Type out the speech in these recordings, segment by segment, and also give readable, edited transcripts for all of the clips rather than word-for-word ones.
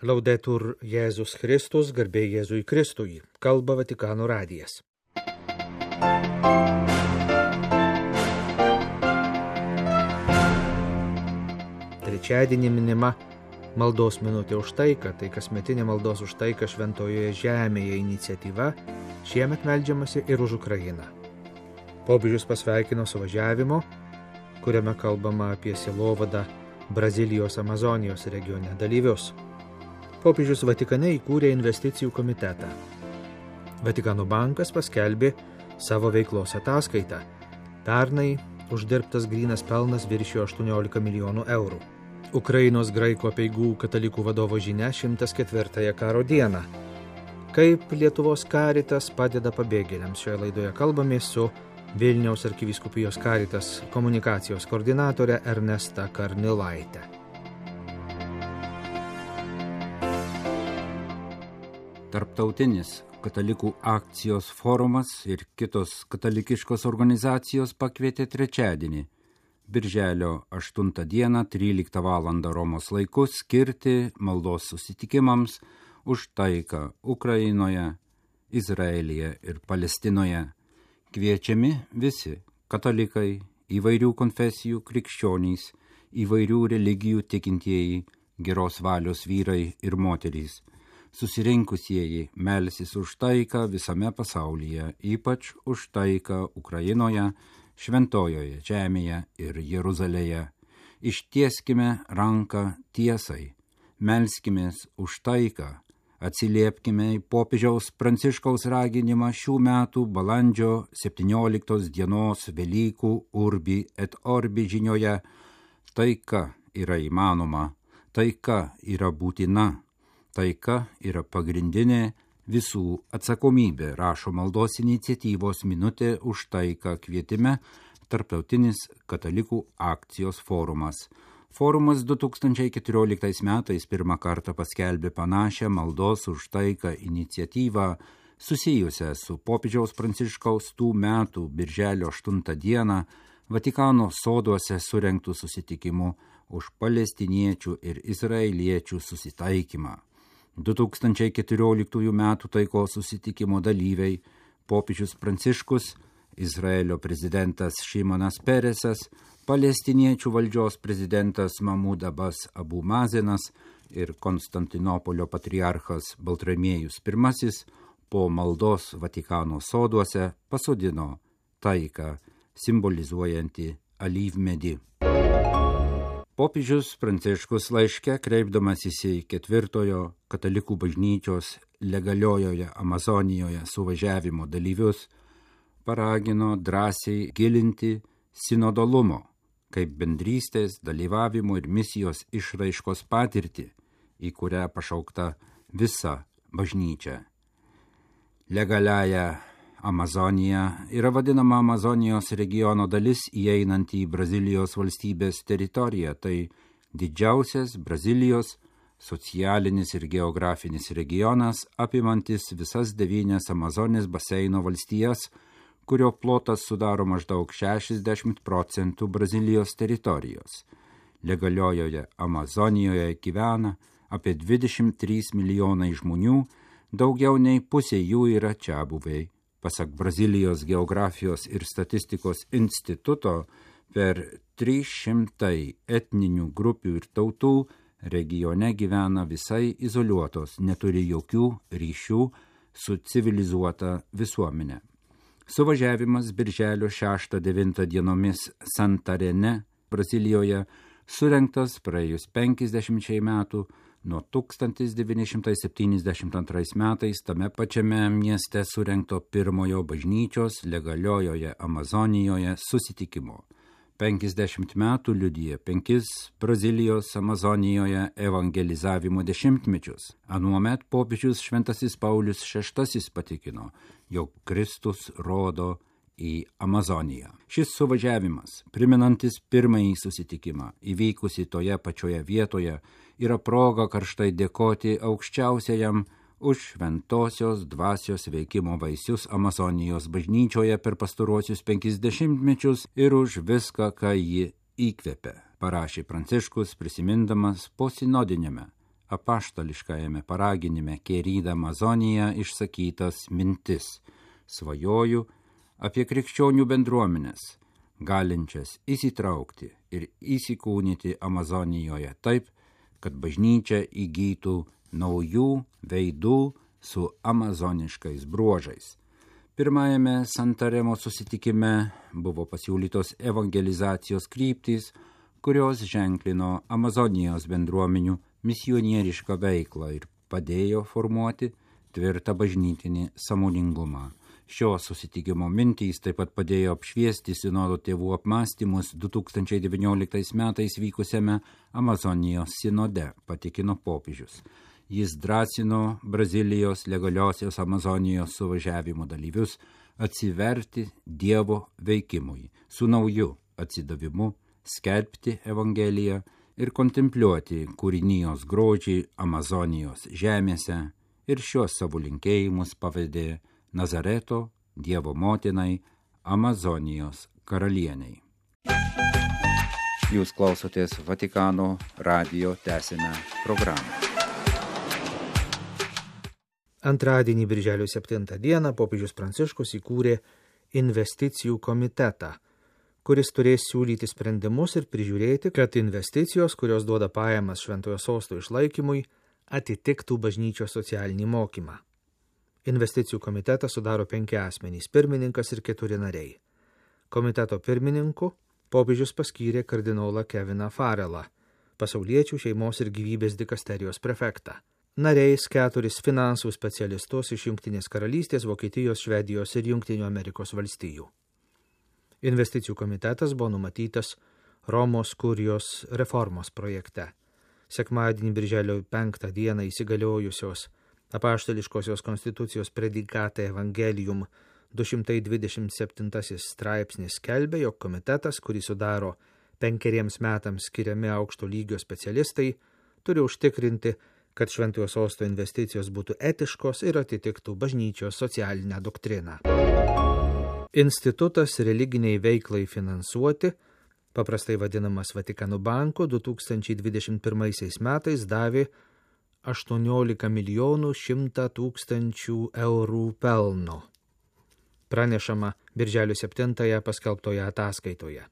Laudetur Jėzus Kristus, garbė Jėzui Kristui, kalba Vatikano radijas. Trečiadienį minima maldos minutė už taiką, tai kasmetinė maldos už taiką Šventojoje Žemėje iniciatyva, šiemet meldžiamasi ir už Ukrainą. Popiežius pasveikino suvažiavimo, kuriame kalbama apie sielovadą Brazilijos Amazonijos regione dalyvius. Popiežius Vatikane įkūrė investicijų komitetą. Vatikano bankas paskelbė savo veiklos ataskaitą. Pernai uždirbtas grynas pelnas viršijo 18 milijonų eurų. Ukrainos graikų apeigų katalikų vadovo žinia 104 karo dieną. Kaip Lietuvos Caritas padeda pabėgėliams, šioje laidoje kalbamės su Vilniaus arkivyskupijos Caritas komunikacijos koordinatore Ernesta Karnilaite. Tarptautinis katalikų akcijos forumas ir kitos katalikiškos organizacijos pakvietė trečiadienį, birželio 8 dieną, 13 val. Romos laiku skirti maldos susitikimams už taiką Ukrainoje, Izraelyje ir Palestinoje. Kviečiami visi katalikai, įvairių konfesijų krikščionys, įvairių religijų tikintieji, geros valios vyrai ir moterys. Susirinkusieji melsis už taiką visame pasaulyje, ypač už taiką Ukrainoje, Šventojoje Žemėje ir Jeruzalėje. Ištieskime ranką tiesai, melskimės už taiką, atsiliepkime į popiežiaus Pranciškaus raginimą šių metų balandžio 17 dienos Velykų Urbi et Orbi žinioje. Taika yra įmanoma, taika yra būtina. Taika yra pagrindinė visų atsakomybė, rašo maldos iniciatyvos minutė už taiką kvietime Tarptautinis katalikų akcijos forumas. Forumas 2014 metais pirmą kartą paskelbė panašią maldos už taiką iniciatyvą susijusią su popiežiaus Pranciškaus tų metų birželio 8 dieną Vatikano soduose surengtų susitikimų už palestiniečių ir izraeliečių susitaikymą. 2014 metų taikos susitikimo dalyviai popiežius Pranciškus, Izraelio prezidentas Šimonas Peresas, palestiniečių valdžios prezidentas Mahmud Abbas Abu Mazenas ir Konstantinopolio patriarchas Baltramiejus I po maldos Vatikano soduose pasodino taiką simbolizuojantį alyvmedį. Popiežius Pranciškus laiške, kreipdamasis į 4 katalikų bažnyčios legaliojoje Amazonijoje suvažiavimo dalyvius, paragino drąsiai gilinti sinodalumo, kaip bendrystės, dalyvavimo ir misijos išraiškos patirtį, į kurią pašaukta visa bažnyčia. Legaliaja Amazonija yra vadinama Amazonijos regiono dalis įeinanti į Brazilijos valstybės teritoriją. Tai didžiausias Brazilijos socialinis ir geografinis regionas, apimantis visas 9 Amazonės baseino valstijas, kurio plotas sudaro maždaug 60% Brazilijos teritorijos. Legaliojoje Amazonijoje gyvena apie 23 milijonai žmonių, daugiau nei pusė jų yra čiabuviai. Pasak Brazilijos geografijos ir statistikos instituto, per 300 etninių grupių ir tautų regione gyvena visai izoliuotos, neturi jokių ryšių su civilizuota visuomenė. Suvažiavimas birželio 6-9 dienomis Santarene, Brazilijoje, surengtas praėjus 50 metų, nuo 1972 metais tame pačiame mieste surengto pirmojo bažnyčios legaliojoje Amazonijoje susitikimo. 50 metų liudija 5 Brazilijos Amazonijoje evangelizavimo dešimtmečius. Anuomet popiežius Šventasis Paulius VI patikino, jog Kristus rodo į Amazoniją. Šis suvažiavimas, primenantis pirmąjį susitikimą, įvykusi toje pačioje vietoje, yra proga karštai dėkoti aukščiausiajam už šventosios dvasios veikimo vaisius Amazonijos bažnyčioje per pastaruosius 50 mečius ir už viską, ką ji įkvėpė, parašė Pranciškus prisimindamas po sinodinėme apaštališkajame paraginime Querida Amazonija išsakytas mintis. Svajoju apie krikščionių bendruomenės, galinčias įsitraukti ir įsikūnyti Amazonijoje taip, kad bažnyčia įgytų naujų veidų su amazoniškais bruožais. Pirmajame Santaremo susitikime buvo pasiūlytos evangelizacijos kryptys, kurios ženklino Amazonijos bendruomenių misionierišką veiklą ir padėjo formuoti tvirtą bažnytinį sąmoningumą. Šio susitikimo mintys taip pat padėjo apšviesti sinodo tėvų apmąstymus 2019 metais vykusiame Amazonijos sinode, patikino popiežius. Jis drąsino Brazilijos legaliosios Amazonijos suvažiavimo dalyvius atsiverti Dievo veikimui, su nauju atsidavimu, skelbti Evangeliją ir kontempliuoti kūrinijos grožį Amazonijos žemėse, ir šios savo linkėjimus pavedė Nazareto Dievo motinai, Amazonijos karalieniai. Jūs klausotės Vatikano radijo tęsinę programą. Antradienį, birželio 7 dieną, popiežius Pranciškus įkūrė investicijų komitetą, kuris turės siūlyti sprendimus ir prižiūrėti, kad investicijos, kurios duoda pajamas Šventojo Sosto išlaikymui, atitiktų bažnyčios socialinį mokymą. Investicijų komitetą sudaro 5 asmenys, pirmininkas ir 4 nariai. Komiteto pirmininku popiežius paskyrė kardinolą Keviną Farelą, pasauliečių šeimos ir gyvybės dikasterijos prefektą. Nariais 4 finansų specialistus iš Jungtinės karalystės, Vokietijos, Švedijos ir Jungtinių Amerikos valstijų. Investicijų komitetas buvo numatytas Romos kurijos reformos projekte. Sekmadienį, birželio 5 dieną įsigaliojusios apaštališkosios konstitucijos predikate Evangelium 227 straipsnis skelbia, jog komitetas, kurį sudaro 5 metams skiriami aukšto lygio specialistai, turi užtikrinti, kad Šventojo Sosto investicijos būtų etiškos ir atitiktų bažnyčios socialinę doktriną. Institutas religiniai veiklai finansuoti, paprastai vadinamas Vatikano banku, 2021 metais davė 18 milijonų 100 tūkstančių eurų pelno. Pranešama birželio 7 paskelbtoje ataskaitoje.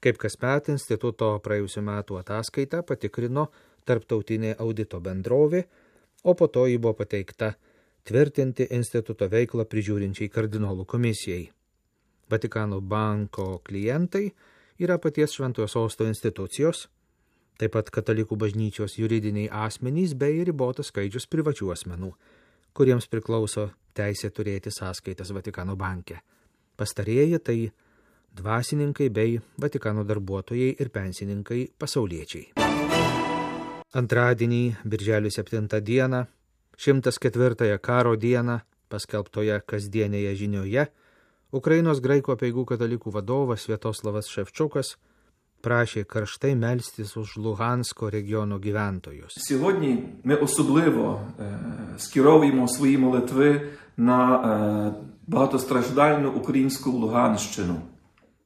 Kaip kasmet instituto praėjusių metų ataskaitą patikrino tarptautinė audito bendrovė, o po to ji buvo pateikta tvirtinti instituto veiklą prižiūrinčiai kardinolų komisijai. Vatikano banko klientai yra paties Šventojo Sosto institucijos, taip pat katalikų bažnyčios juridiniai asmenys bei ribotas skaičius privačių asmenų, kuriems priklauso teisė turėti sąskaitas Vatikano banke. Pastarieji tai dvasininkai bei Vatikano darbuotojai ir pensininkai pasauliečiai. Antradienį, birželio 7 dieną, 104 karo dieną, paskelbtoje kasdienėje žinioje, Ukrainos graikų apeigų katalikų vadovas Sviatoslavas Ševčukas prašė karštai melstis už Луганського регіону gyventojus. Сьогодні ми особливо скеровуємо свої молитви на багатостраждальну українську Луганщину.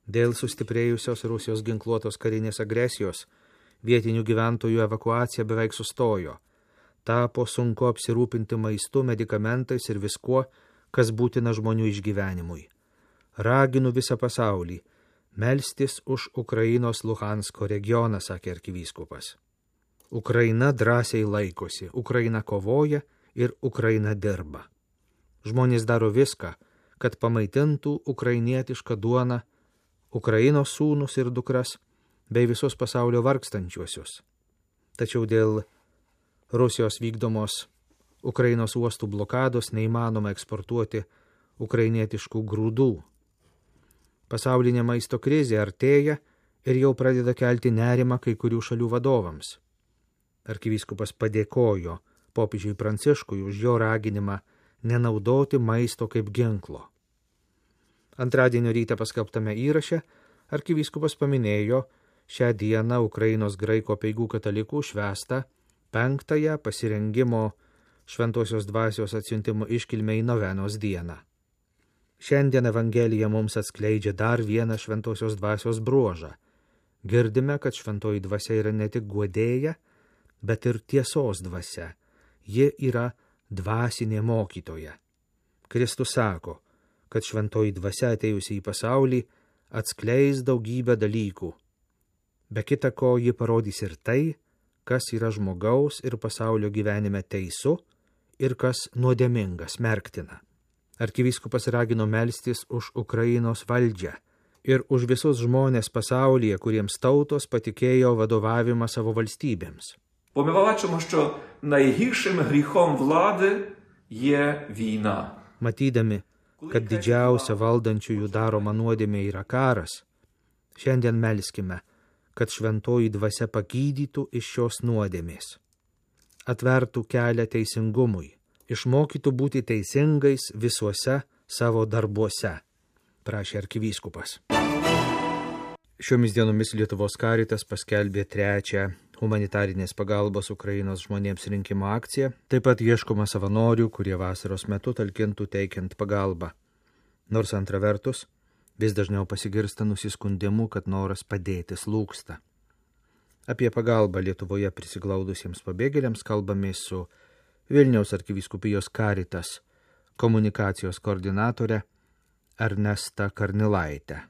Dėl sustiprėjusios Rusijos ginkluotos karinės agresijos, vietinių gyventojų evakuacija beveik sustojo. Tapo sunku apsirūpinti maistu, medikamentais ir viskuo, kas būtina žmonių išgyvenimui. Raginu visą pasaulį melstis už Ukrainos Luhansko regioną, sakė arkivyskupas. Ukraina drąsiai laikosi, Ukraina kovoja ir Ukraina dirba. Žmonės daro viską, kad pamaitintų ukrainietišką duoną Ukrainos sūnus ir dukras bei visus pasaulio vargstančiuosius. Tačiau dėl Rusijos vykdomos Ukrainos uostų blokados neįmanoma eksportuoti ukrainietiškų grūdų. Pasaulinė maisto krizė artėja ir jau pradeda kelti nerimą kai kurių šalių vadovams. Arkivyskupas padėkojo popiežiui Pranciškui už jo raginimą nenaudoti maisto kaip ginklo. Antradienio rytą paskelbtame įraše arkivyskupas paminėjo šią dieną Ukrainos graikų apeigų katalikų švęstą 5 pasirengimo šventosios dvasios atsiuntimo iškilmei novenos dieną. Šiandien Evangelija mums atskleidžia dar vieną šventosios dvasios bruožą. Girdime, kad šventoji dvasia yra ne tik guodėja, bet ir tiesos dvasia. Ji yra dvasinė mokytoja. Kristus sako, kad šventoji dvasia atėjusi į pasaulį atskleis daugybę dalykų. Be kita ko, ji parodys ir tai, kas yra žmogaus ir pasaulio gyvenime teisu ir kas nuodėminga, smerktina. Arkivyskupas ragino melstis už Ukrainos valdžią ir už visus žmonės pasaulyje, kuriems tautos patikėjo vadovavimą savo valstybėms. Бо ми бачимо, що найгіршим гріхом влади є війна. Matydami, kad didžiausia valdančiųjų daroma nuodėmė yra karas, šiandien melskime, kad šventoji dvasia pagydytų iš šios nuodėmės, atvertų kelią teisingumui, išmokytų būti teisingais visuose savo darbuose, prašė arkivyskupas. Šiomis dienomis Lietuvos Karitas paskelbė 3. humanitarinės pagalbos Ukrainos žmonėms rinkimo akciją. Taip pat ieškoma savanorių, kurie vasaros metu talkintų teikiant pagalbą. Nors antra vertus, vis dažniau pasigirsta nusiskundimų, kad noras padėti slūgsta. Apie pagalbą Lietuvoje prisiglaudusiems pabėgėliams kalbamės su Vilniaus arkivyskupijos Karitas komunikacijos koordinatore Ernesta Karnilaite.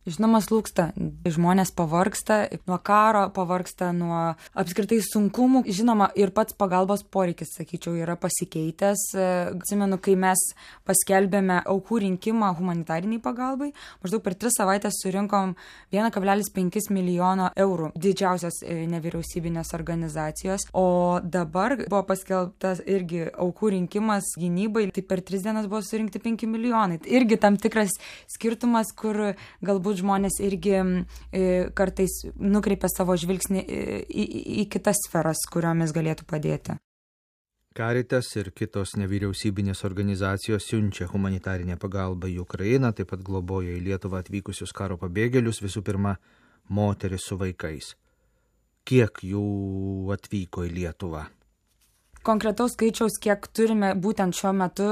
Žinoma, slūgsta. Žmonės pavargsta nuo karo, pavargsta nuo apskritai sunkumų. Žinoma, ir pats pagalbos poreikis, sakyčiau, yra pasikeitęs. Atsimenu, kai mes paskelbėme aukų rinkimą humanitariniai pagalbai, maždaug per 3 savaitės surinkom 1,5 milijono eurų didžiausios nevyriausybinės organizacijos. O dabar buvo paskelbtas irgi aukų rinkimas gynybai, tai per 3 dienas buvo surinkti 5 milijonai. Irgi tam tikras skirtumas, kur galbūt žmonės irgi kartais nukreipia savo žvilgsnį į kitas sferas, kuriomis galėtų padėti. Karitas ir kitos nevyriausybinės organizacijos siunčia humanitarinę pagalbą į Ukrainą, taip pat globoja į Lietuvą atvykusius karo pabėgėlius, visų pirma, moteris su vaikais. Kiek jų atvyko į Lietuvą? Konkretaus skaičiaus, kiek turime būtent šiuo metu,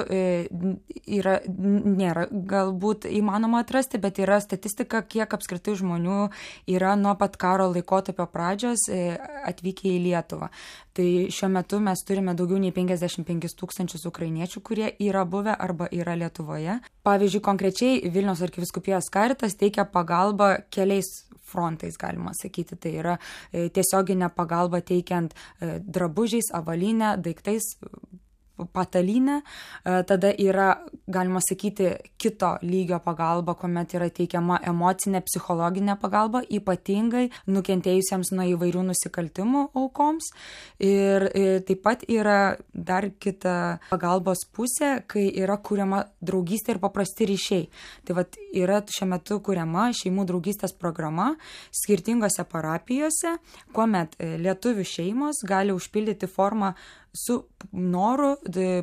nėra galbūt įmanoma atrasti, bet yra statistika, kiek apskritai žmonių yra nuo pat karo laikotarpio pradžios atvykę į Lietuvą. Tai šiuo metu mes turime daugiau nei 55 000 ukrainiečių, kurie yra buvę arba yra Lietuvoje. Pavyzdžiui, konkrečiai Vilniaus arkivyskupijos Karitas teikia pagalbą keliais frontais, galima sakyti. Tai yra tiesioginė pagalba teikiant drabužiais, avalinę, daiktais, patalynę. Tada yra, galima sakyti, kito lygio pagalba, kuomet yra teikiama emocinė, psichologinė pagalba, ypatingai nukentėjusiems nuo įvairių nusikaltimų aukoms. Ir taip pat yra dar kita pagalbos pusė, kai yra kuriama draugystė ir paprasti ryšiai. Tai vat yra šiuo metu kuriama šeimų draugystės programa skirtingose parapijose, kuomet lietuvių šeimos gali užpildyti formą su noru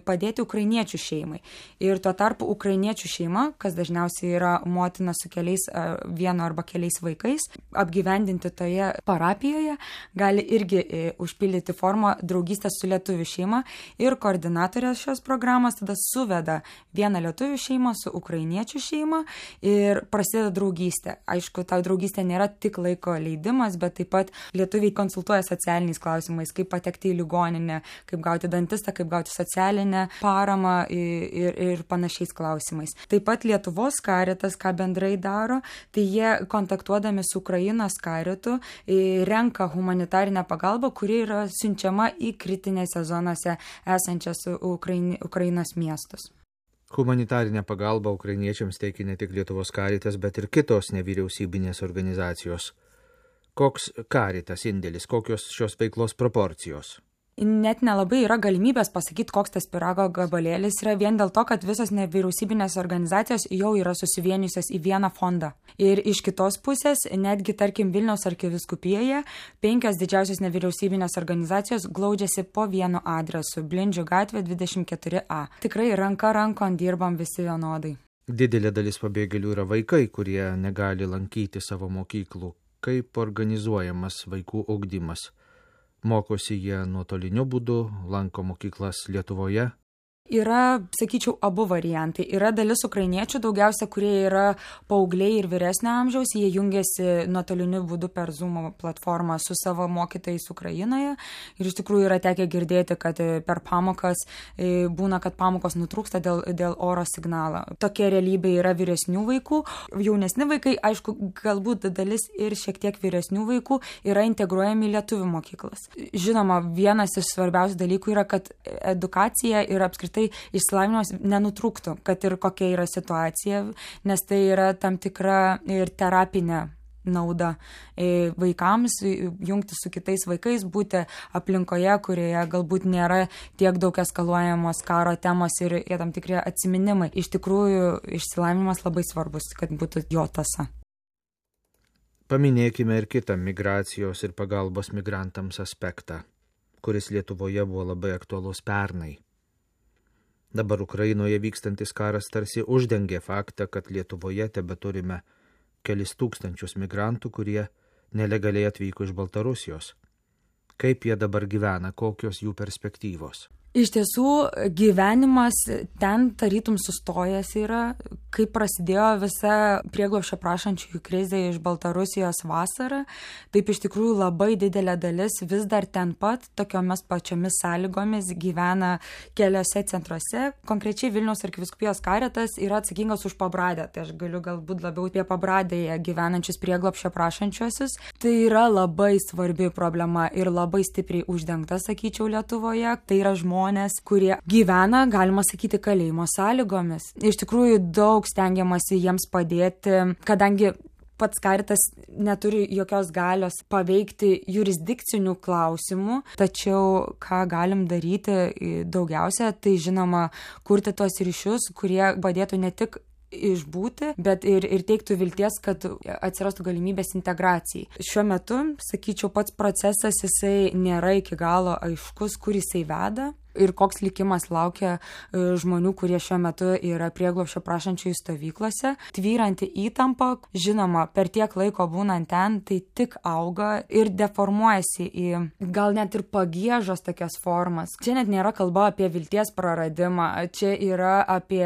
padėti ukrainiečių šeimai. Ir tuo tarpu ukrainiečių šeima, kas dažniausiai yra motina su vienu arba keliais vaikais, apgyvendinti toje parapijoje, gali irgi užpildyti formą draugystės su lietuvių šeima ir koordinatorė šios programos tada suveda vieną lietuvių šeimą su ukrainiečių šeima ir prasideda draugystė. Aišku, ta draugystė nėra tik laiko leidimas, bet taip pat lietuviai konsultuoja socialiniais klausimais, kaip patekti į ligoninę, kaip gauti dantistą, kaip gauti socialinę paramą ir panašiais klausimais. Taip pat Lietuvos Karitas, ką bendrai daro, tai jie kontaktuodami su Ukrainos Karitu renka humanitarinę pagalbą, kuri yra siunčiama į kritinėse zonose esančias Ukrainos miestus. Humanitarinę pagalbą ukrainiečiams teikia ne tik Lietuvos Karitas, bet ir kitos nevyriausybinės organizacijos. Koks Karitas indėlis, kokios šios veiklos proporcijos? Net nelabai yra galimybės pasakyti, koks tas pyrago gabalėlis yra, vien dėl to, kad visos nevyriausybinės organizacijos jau yra susivienijusios į vieną fondą. Ir iš kitos pusės, netgi, tarkim, Vilniaus arkivyskupijoje 5 didžiausios nevyriausybinės organizacijos glaudžiasi po vienu adresu – Blindžių gatvė 24A. Tikrai ranka rankon dirbam visi vienodai. Didelė dalis pabėgėlių yra vaikai, kurie negali lankyti savo mokyklų. Kaip organizuojamas vaikų ugdymas? Mokosi jie nuotoliniu būdu, lanko mokyklas Lietuvoje? Yra, sakyčiau, abu variantai. Yra dalis ukrainiečių, daugiausia, kurie yra paaugliai ir vyresnio amžiaus, jie jungiasi nuotoliniu būdu per Zoom platformą su savo mokytojais Ukrainoje. Ir iš tikrųjų yra tekę girdėti, kad per pamokas būna, kad pamokos nutrūksta dėl oro signalo. Tokia realybė yra vyresnių vaikų. Jaunesni vaikai, aišku, galbūt dalis ir šiek tiek vyresnių vaikų yra integruojami į lietuvių mokyklas. Žinoma, vienas iš svarbiausių dalykų yra, kad edukacija ir apskritai išsilavinimas nenutrūktų, kad ir kokia yra situacija, nes tai yra tam tikra ir terapinė nauda vaikams, jungti su kitais vaikais, būti aplinkoje, kurioje galbūt nėra tiek daug eskaluojamos karo temos ir tam tikri atsiminimai. Iš tikrųjų, išsilavinimas labai svarbus, kad būtų jo tąsa. Paminėkime ir kitą migracijos ir pagalbos migrantams aspektą, kuris Lietuvoje buvo labai aktualus pernai. Dabar Ukrainoje vykstantis karas tarsi uždengė faktą, kad Lietuvoje tebeturime kelis tūkstančius migrantų, kurie nelegaliai atvyko iš Baltarusijos. Kaip jie dabar gyvena, kokios jų perspektyvos? Iš tiesų, gyvenimas ten tarytum sustojęs yra, kai prasidėjo visa prieglobsčio prašančiųjų krizė iš Baltarusijos vasarą, taip iš tikrųjų labai didelė dalis vis dar ten pat, tokiomis pačiomis sąlygomis gyvena keliose centruose. Konkrečiai Vilniaus arkivyskupijos karitas yra atsakingas už Pabradę, tai aš galiu galbūt labiau apie Pabradėje gyvenančius prieglobsčio prašančiuosius. Tai yra labai svarbi problema ir labai stipriai uždengta, sakyčiau, Lietuvoje. Tai yra žmonės, kurie gyvena, galima sakyti, kalėjimo sąlygomis. Iš tikrųjų, daug stengiamasi jiems padėti, kadangi pats karitas neturi jokios galios paveikti jurisdikcinių klausimų, tačiau ką galim daryti daugiausia, tai žinoma, kurti tos ryšius, kurie padėtų ne tik išbūti, bet ir teiktų vilties, kad atsirastų galimybės integracijai. Šiuo metu, sakyčiau, pats procesas jisai nėra iki galo aiškus, kur jisai veda ir koks likimas laukia žmonių, kurie šiuo metu yra prieglobsčio prašančiųjų stovyklose. Tvyranti įtampa, žinoma, per tiek laiko būnant ten, tai tik auga ir deformuojasi į gal net ir pagiežos tokias formas. Čia net nėra kalba apie vilties praradimą, čia yra apie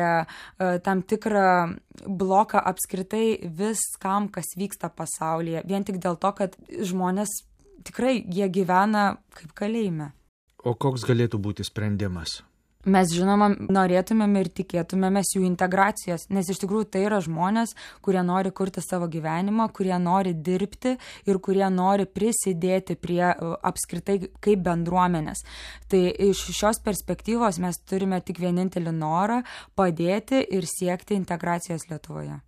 tam tikrą bloką apskritai viskam, kas vyksta pasaulyje. Vien tik dėl to, kad žmonės tikrai jie gyvena kaip kalėjime. O koks galėtų būti sprendimas? Mes, žinoma, norėtumėm ir tikėtumėmės jų integracijos, nes iš tikrųjų tai yra žmonės, kurie nori kurti savo gyvenimą, kurie nori dirbti ir kurie nori prisidėti prie apskritai kaip bendruomenės. Tai iš šios perspektyvos mes turime tik vienintelį norą padėti ir siekti integracijos Lietuvoje.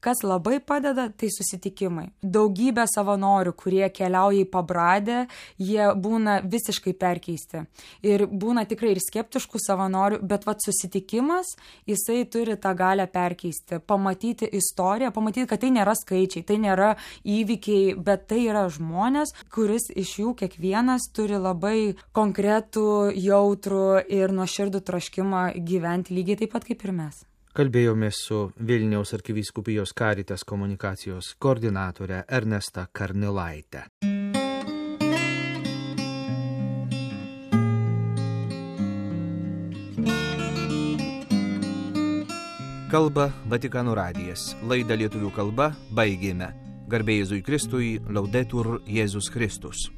Kas labai padeda, tai susitikimai. Daugybė savanorių, kurie keliauja į Pabradę, jie būna visiškai perkeisti. Ir būna tikrai ir skeptiškų savanorių, bet susitikimas, jisai turi tą galią perkeisti, pamatyti istoriją, pamatyti, kad tai nėra skaičiai, tai nėra įvykiai, bet tai yra žmonės, kuris iš jų kiekvienas turi labai konkretų, jautrų ir nuoširdų troškimą gyventi lygiai taip pat kaip ir mes. Kalbėjomės su Vilniaus arkivyskupijos Caritas komunikacijos koordinatore Ernesta Karnilaite. Kalba Vatikano radijas. Laidą lietuvių kalba baigėme. Garbė Jėzui Kristui, Laudetur Jėzus Kristus.